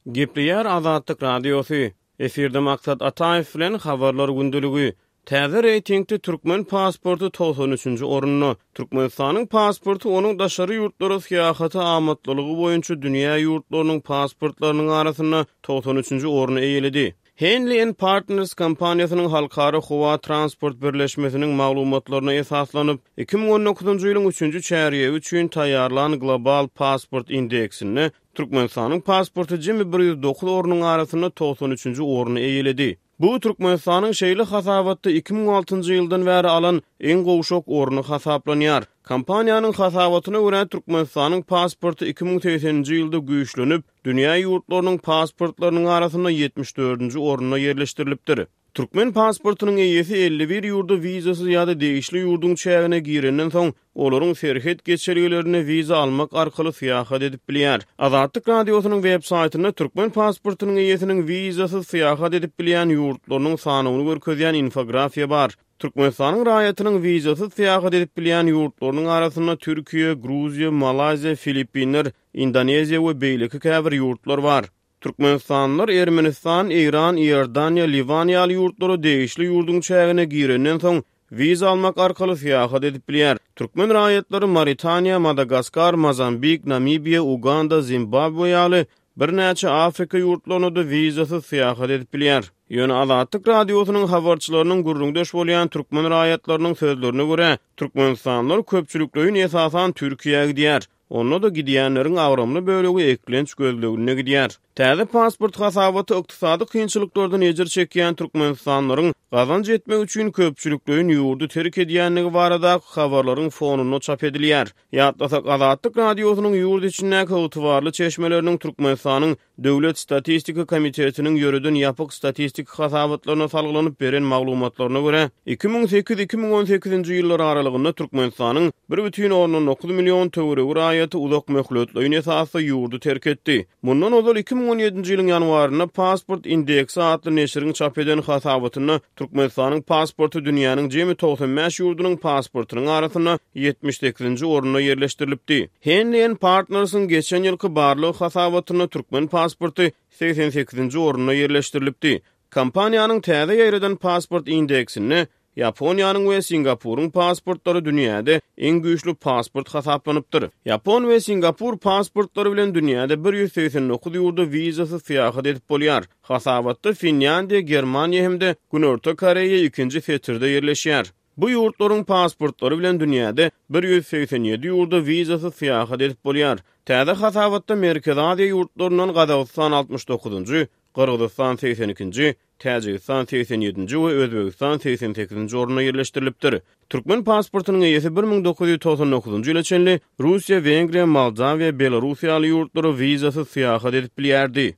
Gepleýär Azatlyk Radiosy. Efirde Maksat Ataýew bilen Habarlar gündeligi. Täze reýtingde türkmen pasporty 93 üçünji orunda. Türkmenistanyň pasporty onuň daşary ýurtlara syýahata amatlylygy boýunça dünýä ýurtlarynyň pasportlarynyň arasynda 93 üçünji orny eýeledi. Henley and Partners kompaniýasynyň Halkara howa transport birleşmesiniň maglumatlaryna esaslanyp, 2019-njy ýylyň üçünji çärýegi üçin taýýarlan Global pasport indeksinde Türkmenistanyň pasporty jemi 109 ornuň arasynda 93-nji orny eýeledi. Bu Türkmenistanyň şeýle hasabatda 2006-njy ýyldan bäri alan iň gowşak orny hasaplanýar. Kompaniýanyň hasabatyna görä, Türkmenistanyň pasporty 2080-nji ýylda güýçlenip, dünýä ýurtlarynyň pasportlarynyň arasynda 74-nji orunda ýerleşdirilipdir. Türkmen pasportynyň eýesi 51 ýurda wizasyz ýa-da degişli ýurduň çägine girenden soň, olaryň serhet geçelgelerinde wiza almak arkaly syýahat edip bilýär. Azatlyk Radiosynyň web saýtynda türkmen pasportynyň eýesiniň wizasyz syýahat edip bilýän ýurtlarynyň sanawyny görkezýän infografiýa bar. Türkmenistanyň raýatynyň wizasyz syýahat edip bilýän ýurtlarynyň arasynda Türkiýe, Gruziýa, Malaýziýa, Filippinler, Indoneziýa we beýleki käbir ýurtlar bar. Türkmenistanlylar Ermenistan, Eýran, Iordaniýa, Liwan ýaly ýurtlara degişli ýurduň çägine girenden soň, wiza almak arkaly syýahat edip bilýär. Türkmen raýatlary Maritaniýa, Madagaskar, Mozambik, Namibiýa, Uganda, Zimbabwe ýaly birnäçe Afrika ýurtlaryna-da wizasyz syýahat edip bilýär. Ýöne Azatlyk Radiosynyň habarçylarynyň gürrüňdeş bolýan türkmen raýatlarynyň sözlerine görä, türkmenistanlylar köpçülikleýin esasan Türkiýä gidýär. Onda-da gidýänleriň agramly bölegi eklenç gözleginde gidýär. Täze pasport hasabaty ykdysady kynçylyklardan ejir çekýän türkmenistanlylaryň gazanç etmek üçin köpçülikleýin ýurdy terk edýändigi baradaky habarlaryň fonunda çap edilýär. Ýatlasak, Azatlyk Radiosynyň ýurt içindäki ygtybarly çeşmeleriniň Türkmenistanyň Döwlet statistika komitetiniň ýöreden ýapyk statistik hasabatlaryna salgylanyp beren maglumatlaryna görä, 2008, 2018-nji ýyllar aralygynda Türkmenistanyň 1,9 million töweregi raýaty uzak möhletleýin esasda ýurdy terk etdi. Mundan ozal 2017-nji ýylyň ýanwarynda Pasport indeksi atly neşiriň çap eden hasabatynda Türkmenistanyň pasporty dünýäniň jemi 95 ýurdunyň pasportynyň arasynda 78-nji orunda ýerleşdirilipdi. Henley and Partners-yň geçen ýylky barlag hasabatynda türkmen pasporty 88-nji orunda ýerleşdirilipdi. Kompaniýanyň täze ýaýradan pasport indeksinde Ýaponiýanyň we Singapuryň pasportlary dünýäde iň güýçli pasport hasaplanypdyr. Ýapon we singapur pasportlary bilen dünýäde 189 ýurda wizasyz syýahat edip bolýar. Hasabatda Finlýandiýa, Germaniýa hem-de Günorta Koreýa ikinji setirde ýerleşýär. Bu ýurtlaryň pasportlary bilen dünýäde 187 ýurda wizasyz syýahat edip bolýar. Täze hasabatda Merkezi Aziýa ýurtlaryndan Gazagystan 69-njy, Gyrgyzystan 82-nji, Täjigistan 87-nji we Özbegistan 88-nji orunda ýerleşdirilipdir. Türkmen pasportynyň eýesi 1999-njy ýyla çenli Russiýa, Wengriýa, Moldawiýa, Belarus ýaly ýurtlara wizasyz syýahat edip bilýärdi.